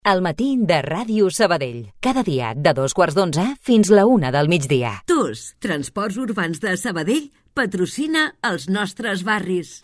El matí de Ràdio Sabadell. Cada dia de 2:15 fins la 1 del migdia. TUS, Transports Urbans de Sabadell, patrocina els nostres barris.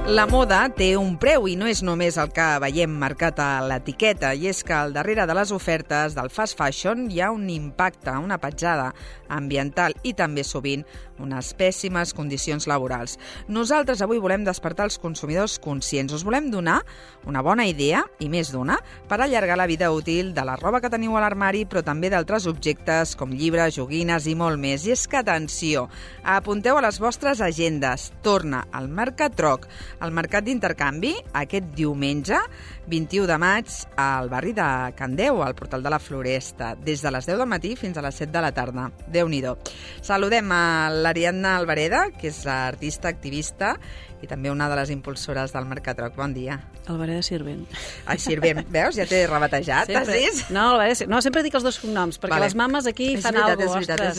La moda té un preu i no és només el que veiem marcat a l'etiqueta, i és que al darrere de les ofertes del fast fashion hi ha un impacte, una petjada ambiental i també sovint unes pèssimes condicions laborals. Nosaltres avui volem despertar els consumidors conscients. Us volem donar una bona idea, i més d'una, per allargar la vida útil de la roba que teniu a l'armari, però també d'altres objectes com llibres, joguines i molt més. I és que, atenció, apunteu a les vostres agendes. Torna al Mercatroc, el mercat d'intercanvi, aquest diumenge, 21 de maig, al barri de Can Déu, al portal de la Floresta, des de les 10 del matí fins a les 7 de la tarda. Déu-n'hi-do. Saludem a l'Ariadna Albareda, que és artista, activista i també una de les impulsores del Mercatroc. Bon dia. Albareda Sirvent. Ai, Sirvent, veus? Ja t'he rebatejat, has vist? No, Albareda Sirvent. No, sempre dic els dos cognoms, perquè les mames aquí fan alguna cosa. És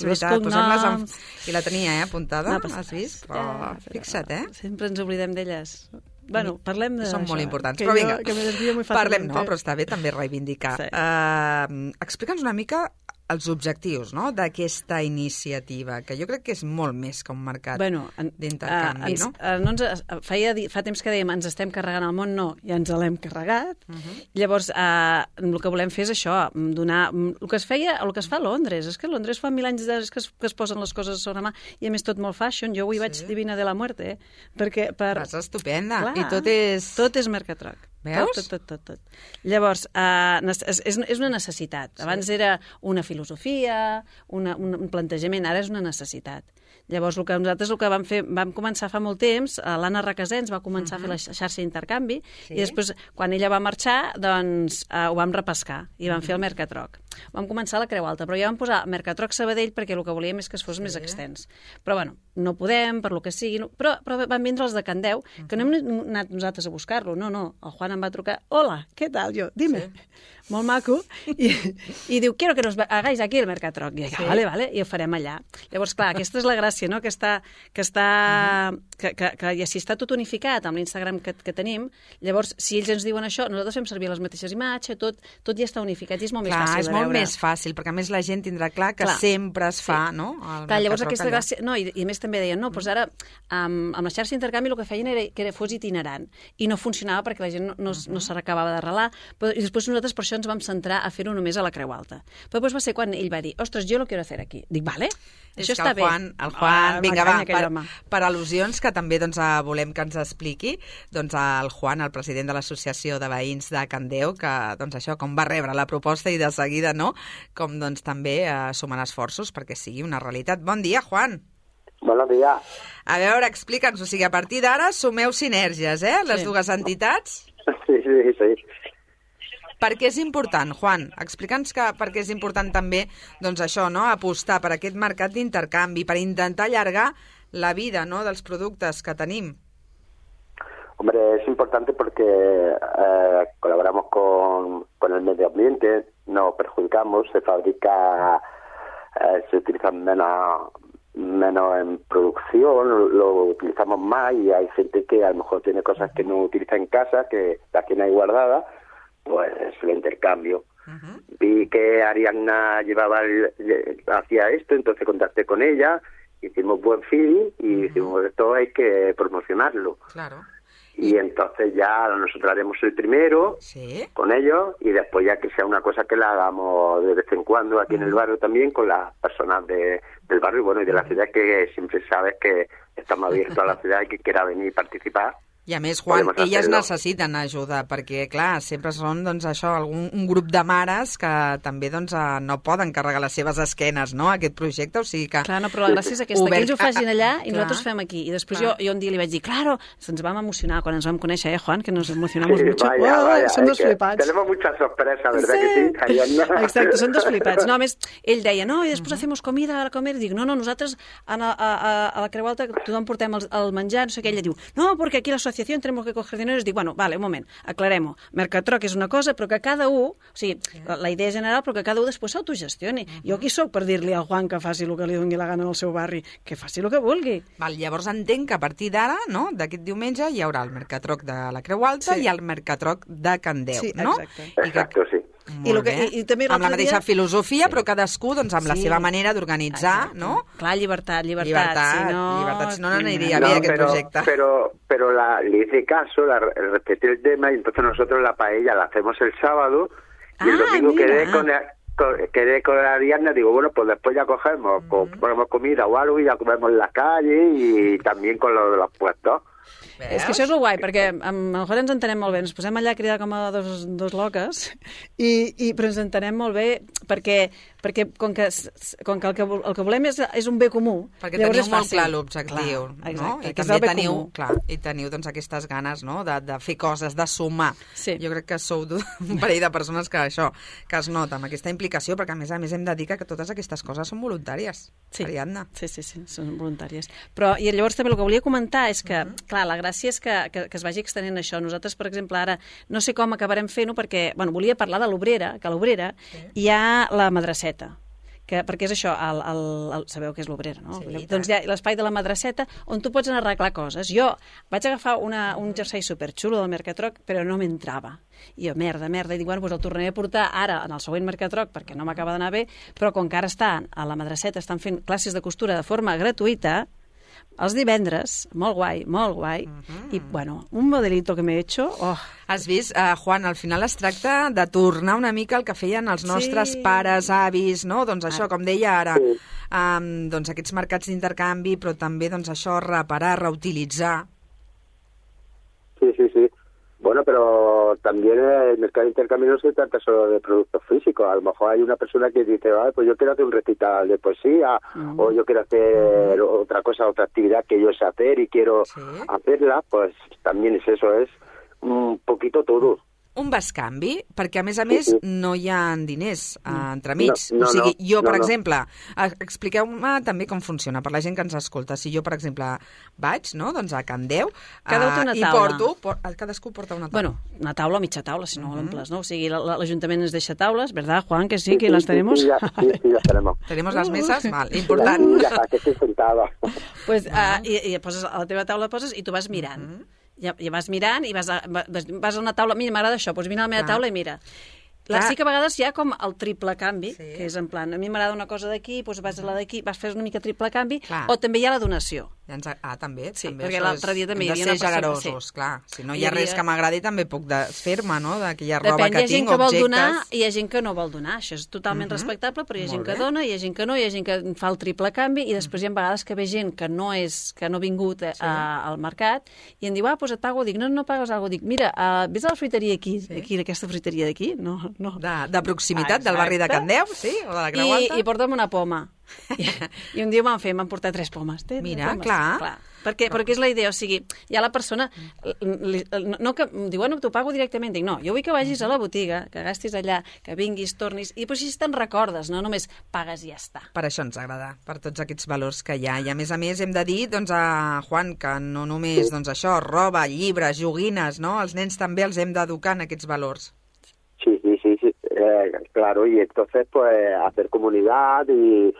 veritat. Posem-les I la tenia, apuntada, has vist? Però fixa't, Sempre ens oblidem d'elles. Bueno, parlem d'això. Són molt importants, però vinga, parlem, però està bé també reivindicar. Sí. Explica'ns una mica els objectius, no?, d'aquesta iniciativa, que jo crec que és molt més que un mercat d'intercanvi, no? Fa temps que dèiem ens estem carregant el món, no, ja ens l'hem carregat. Llavors, el que volem fer és això, donar el que es feia, el que es fa a Londres. És que a Londres fa 1000 anys que es posen les coses sobre la mà, i a més tot molt fashion. Jo avui vaig Divina de la Muerte, perquè vas estupenda. Clar, i tot és Mercatroc. Veus? Tot. Llavors, és una necessitat. Abans era una filosofia, un plantejament, ara és una necessitat. Llavors, nosaltres el que vam començar fa molt temps, l'Anna Requesens va començar a fer la xarxa d'intercanvi, i després, quan ella va marxar, doncs ho vam repescar i vam fer el Mercatroc. Vam començar a la Creu Alta, però ja vam posar Mercatroc Sabadell perquè el que volíem és que es fos més extens. Però, bueno, no podem, per lo que sigui, però van vindre els de Can Déu, que no hem anat nosaltres a buscar-lo, no. El Juan em va trucar, hola, què tal? Jo, dime. Molt maco, i diu, quiero que nos hagáis aquí el Mercatroc. I jo, vale, i ho farem allà. Llavors, clar, aquesta és la gràcia, no?, que ja si està tot unificat amb l'Instagram que tenim, llavors, si ells ens diuen això, nosaltres fem servir les mateixes imatges, tot ja està unificat i és molt més fàcil de veure. És molt més fàcil, perquè a més la gent tindrà clar que sempre es fa, no? Clar, llavors aquesta gràcia... No, i a més també deien, no, doncs ara amb la xarxa d'intercanvi el que feien era que fos itinerant, i no funcionava perquè la gent no s'acabava d'arrelar, i després nosaltres per això ens vam centrar a fer-ho només a la Creu Alta. Però després va ser quan ell va dir, ostres, jo lo quiero hacer aquí. Dic, vale, això està bé. El Juan, vinga, va, per al·lusions, que també volem que ens expliqui, doncs el Juan, el president de l'Associació de Veïns de Can Déu, que això, com va rebre la proposta i de seguida, no?, com doncs també sumant esforços perquè sigui una realitat. Bon dia, Juan. Bon dia. A veure, explica'ns, o sigui, a partir d'ara sumeu sinergies, les dues entitats? Sí. Per què és important, Juan? Explica'ns per què és important també, doncs això, no?, apostar per aquest mercat d'intercanvi, per intentar allargar la vida, ¿no?, dels productes que tenim. Hombre, es importante porque colaboramos con el medio ambiente, no perjudicamos, se fabrica, se utilizan menos en producción, lo utilizamos más, y hay gente que a lo mejor tiene cosas que no utiliza en casa, que las tiene ahí guardadas, pues lo intercambio. Vi que Ariadna hacía esto, entonces contacté con ella, hicimos buen feeling y dijimos, esto hay que promocionarlo. Claro. Y entonces ya nosotros haremos el primero con ellos, y después ya que sea una cosa que la hagamos de vez en cuando aquí en el barrio también, con las personas del barrio, bueno, y de la ciudad, que siempre sabes que estamos abiertos a la ciudad y que quiera venir y participar. I a més, Juan, elles necessiten ajuda, perquè, clar, sempre són, doncs, això, un grup de mares que també, doncs, no poden carregar les seves esquenes, no?, a aquest projecte, o sigui que... Clar, no, però la gràcia és aquesta, que ells ho facin allà i nosaltres fem aquí. I després jo un dia li vaig dir, claro, ens vam emocionar quan ens vam conèixer, Juan, que nos emocionamos mucho. Vaya, són dos flipats. Tenemos muchas sorpresas, ¿verdad que sí? Exacte, són dos flipats. No, a més, ell deia, no, i després hacemos comida a comer. Dic, no, nosaltres a la Creu Alta tothom portem el menjar, no sé què. Ella diu, no, perquè aquí l'associació negociación tenemos que coger dinero, dic, bueno, vale, un moment, aclarem-ho. Mercatroc és una cosa, però que cada un, o sigui, la idea general, però que cada un després s'autogestioni. Jo qui sóc per dir-li al Juan que faci el que li doni la gana al seu barri? Que faci el que vulgui. Val, llavors entenc que a partir d'ara, no, d'aquest diumenge, hi haurà el Mercatroc de la Creu Alta i el Mercatroc de Can Déu, no? Exacte, sí. I també amb la mateixa filosofia, però cadascú doncs, amb la seva manera d'organitzar, ¿no? Clar, llibertat. Llibertat, si no aniria bé aquest projecte. Pero le hice caso, respeté el tema y entonces nosotros la paella la hacemos el sábado y el domingo quedé con la Diana, digo, bueno, pues después ya ponemos comida o algo y ya comemos en la calle y también con lo de los puestos. És que això és el guai, perquè amb el Jorge ens entenem molt bé, ens posem allà a cridar com a dos loques, però ens entenem molt bé perquè com que el que volem és un bé comú, perquè teniu molt clar l'objectiu, no? I també teniu doncs, aquestes ganes, no?, de fer coses, de sumar. Jo crec que sou un parell de persones que es nota amb aquesta implicació, perquè a més hem de dir que totes aquestes coses són voluntàries, Ariadna. Sí, són voluntàries. Però, i llavors també el que volia comentar és que, clar, la gràcia és que es vagi extenent això. Nosaltres, per exemple, ara no sé com acabarem fent-ho perquè, bueno, volia parlar de l'Obrera, que a l'Obrera hi ha la madraceta, perquè és això, sabeu què és l'Obrera, no? Sí, doncs hi ha l'espai de la madraceta on tu pots anar a arreglar coses. Jo vaig agafar un jersei superxulo del Mercatroc, però no m'entrava. I jo, merda, i dic, bueno, doncs el tornaré a portar ara en el següent Mercatroc perquè no m'acaba d'anar bé, però com que ara a la madraceta estan fent classes de costura de forma gratuïta, els divendres, molt guai, i, bueno, un modelito que m'he hecho... Has vist, Juan, al final es tracta de tornar una mica el que feien els nostres pares, avis, no? Doncs això, com deia ara, doncs aquests mercats d'intercanvi, però també doncs això, reparar, reutilitzar. Sí. Bueno, pero también el mercado de intercambio no se trata solo de productos físicos. A lo mejor hay una persona que dice, pues yo quiero hacer un recital de poesía o yo quiero hacer otra actividad que yo sé hacer y quiero hacerla, pues también es eso, es un poquito todo. Un bescanvi, perquè a més no hi ha diners entremig. O sigui, jo, per exemple, expliqueu-me també com funciona, per la gent que ens escolta. Si jo, per exemple, vaig, no?, doncs a Can Déu i cadascú porta una taula. Bueno, una taula o mitja taula, si no l'omples, no? O sigui, l'Ajuntament ens deixa taules, ¿verdad, Juan? Que sí, que las tenemos. Sí, las tenemos. ¿Tenemos las mesas? Val, important. Ja, que estic sentada. Pues, i poses a la teva taula i tu vas mirant. Ja vas mirant i vas a una taula, mira, m'agrada això, doncs vine a la meva taula i mira. Sí que a vegades hi ha com el triple canvi, que és en plan, a mi m'agrada una cosa d'aquí, doncs vas a la d'aquí, vas fer una mica triple canvi, o també hi ha la donació. També. Sí, perquè l'altre dia també hi havia una persona... Hem de ser generosos, clar. Si no hi ha res que m'agradi, també puc desfer-me, no?, d'aquella roba que tinc, objectes... Hi ha gent que vol donar i hi ha gent que no vol donar. Això és totalment respectable, però hi ha gent que dona, hi ha gent que no, hi ha gent que fa el triple canvi i després hi ha vegades que ve gent que no ha vingut al mercat i em diu, doncs et pago. Dic, no pagues alguna cosa. Dic, mira, ves a la fruiteria aquí, aquesta fruiteria d'aquí? No. De proximitat, del barri de Can Déu, sí? O de la Creu Alta? I porta'm una poma. I un dia m'han portat 3 pomes. Mira, clar. Perquè és la idea, o sigui, ja la persona no que diu, bueno, t'ho pago directament, dic, no, jo vull que vagis a la botiga, que gastis allà, que vinguis, tornis, i després així te'n recordes, no només pagues i ja està. Per això ens agrada, per tots aquests valors que hi ha, i a més hem de dir, doncs, a Juan, que no només, doncs això, roba, llibres, joguines, no?, els nens també els hem d'educar en aquests valors. Sí, claro, y entonces pues hacer comunidad y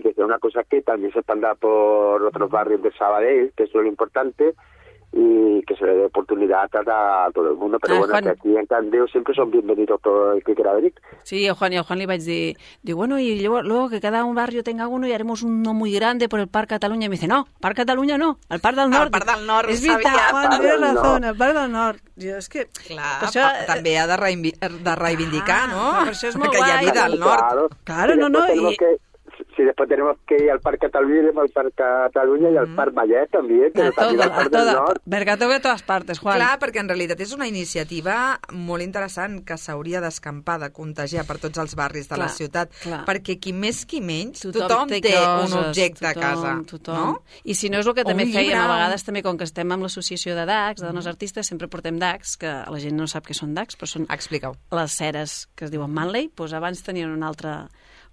que sea una cosa que también se expanda por otros barrios de Sabadell, que eso es lo importante, y que se le dé oportunidad a todo el mundo. Pero bueno, Juan, que aquí en Can Déu siempre son bienvenidos todo el que quiera venir. Sí, a Juan li vaig dir, bueno, y luego que cada un barrio tenga uno y haremos uno muy grande por el Parc Catalunya. Y me dice, no, Parc Catalunya no, el Parc del Nord. El Parc del Nord, és veritat, Juan, tienes razón, el Parc del Nord. Jo, és que... Clar, això... també ha de reivindicar, no? Per això és molt guai. Que hi ha vida al nord. Claro, no. Si después tenemos que ir al Parc Catalunya, iremos al Parc Catalunya y al Parc Vallet también, que también al Parc del Nord. Mercato de totes partes, Juan. Clar, perquè en realitat és una iniciativa molt interessant que s'hauria d'escampar, de contagiar per tots els barris de la ciutat, perquè qui més qui menys, tothom té un objecte a casa. No? I si no és el que també fèiem a vegades, també com que estem amb l'associació de DACs, de dones artistes, sempre portem DACs, que la gent no sap què són DACs, però són les ceres que es diuen Manley, doncs abans tenien un altre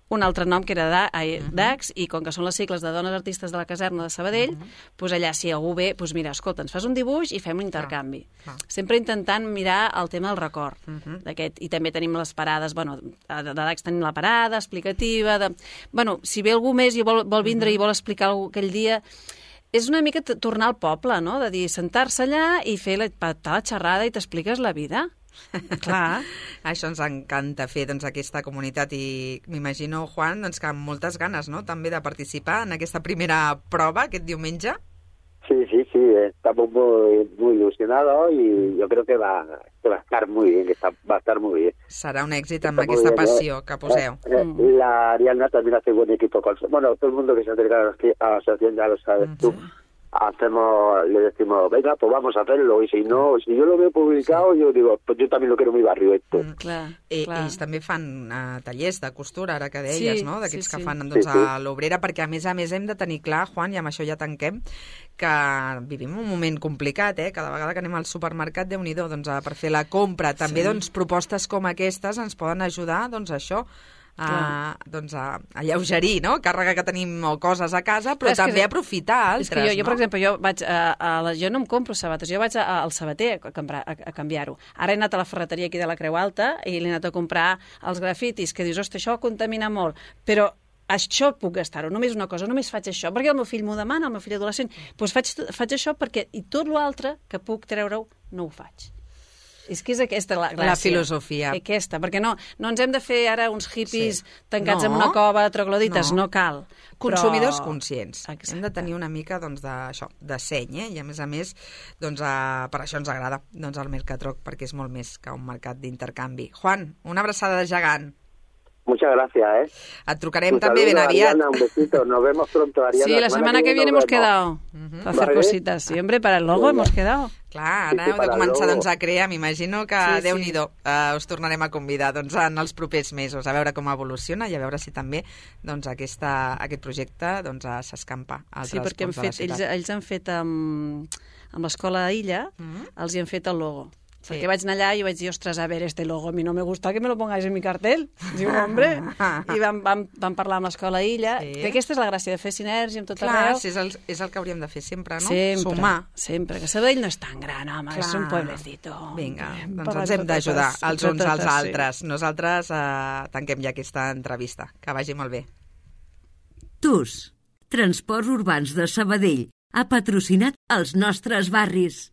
un altre nom que era DAX, i com que són les sigles de Dones Artistes de la Caserna de Sabadell, doncs allà si algú ve, doncs mira, escolta, ens fas un dibuix i fem un intercanvi. Sempre intentant mirar el tema del record d'aquest. I també tenim les parades, bueno, de DAX tenim la parada explicativa, bueno, si ve algú més i vol vindre i vol explicar alguna cosa aquell dia, és una mica tornar al poble, no?, de dir, sentar-se allà i fer la xerrada i t'expliques la vida. Clar. Això ens encanta fer, doncs, aquesta comunitat, i m'imagino, Juan, doncs, que amb moltes ganes, no?, també de participar en aquesta primera prova aquest diumenge. Sí, estamos muy ilusionados y yo creo que va a estar muy bien, va a estar muy bien. Serà un èxit amb aquesta passió que poseu. La Ariadna también hace buen equipo bueno, todo el mundo que se acerca a la asociación ya lo sabes tú. Le decimos, venga, pues vamos a hacerlo, y si no, si yo lo veo publicado, yo digo, pues yo también lo quiero en mi barrio esto. Ells també fan tallers de costura, ara que deies, no?, d'aquells que fan, doncs, a l'Obrera, perquè a més hem de tenir clar, Juan, i amb això ja tanquem, que vivim un moment complicat, cada vegada que anem al supermercat, Déu-n'hi-do, doncs, per fer la compra. També, doncs, propostes com aquestes ens poden ajudar, doncs, això, a alleugerir, no?, càrrega que tenim o coses a casa, però també aprofitar altres, és que jo, per exemple, jo no em compro sabates, jo vaig al sabater a canviar-ho. Ara he anat a la ferreteria aquí de la Creu Alta i l'he anat a comprar els grafitis, que dius, ostres, això contamina molt, però això puc gastar-ho, només una cosa, només faig això, perquè el meu fill m'ho demana, el meu fill adolescent, doncs faig això perquè, i tot l'altre que puc treure-ho, no ho faig. És que és aquesta la gràcia. La filosofia. Aquesta, perquè no ens hem de fer ara uns hippies tancats en una cova, troglodites, no cal. Consumidors conscients. Hem de tenir una mica, doncs, d'això, de seny, i a més, doncs, per això ens agrada, doncs, el Mercatroc, perquè és molt més que un mercat d'intercanvi. Juan, una abraçada de gegant. Muchas gracias, Et trucarem també ben aviat. Ariana, un besito. Nos vemos pronto, Ariana. Sí, la semana que viene hemos quedado a hacer cositas. Sí, hombre, para el logo hemos quedado. Clar, ara heu de començar, doncs, a crear. M'imagino que, Déu-n'hi-do, us tornarem a convidar, doncs, en els propers mesos, a veure com evoluciona i a veure si també, doncs, aquest projecte, doncs, s'escampa a altres punts de la ciutat. Ells han fet amb l'escola Illa, els hi han fet el logo. Perquè vaig anar allà i vaig dir, ostres, a ver, este logo a mi no me gusta que me lo pongáis en mi cartel. Diu, hombre. I vam parlar amb l'escola Illa. Que aquesta és la gràcia de fer sinergia amb tot arreu. Clar, és el que hauríem de fer sempre, no? Sumar. Sempre, que Sabadell no és tan gran, home, és un pueblecito. Vinga, doncs ens hem d'ajudar els uns als altres. Nosaltres tanquem ja aquesta entrevista. Que vagi molt bé. TUS, Transports Urbans de Sabadell, ha patrocinat els nostres barris.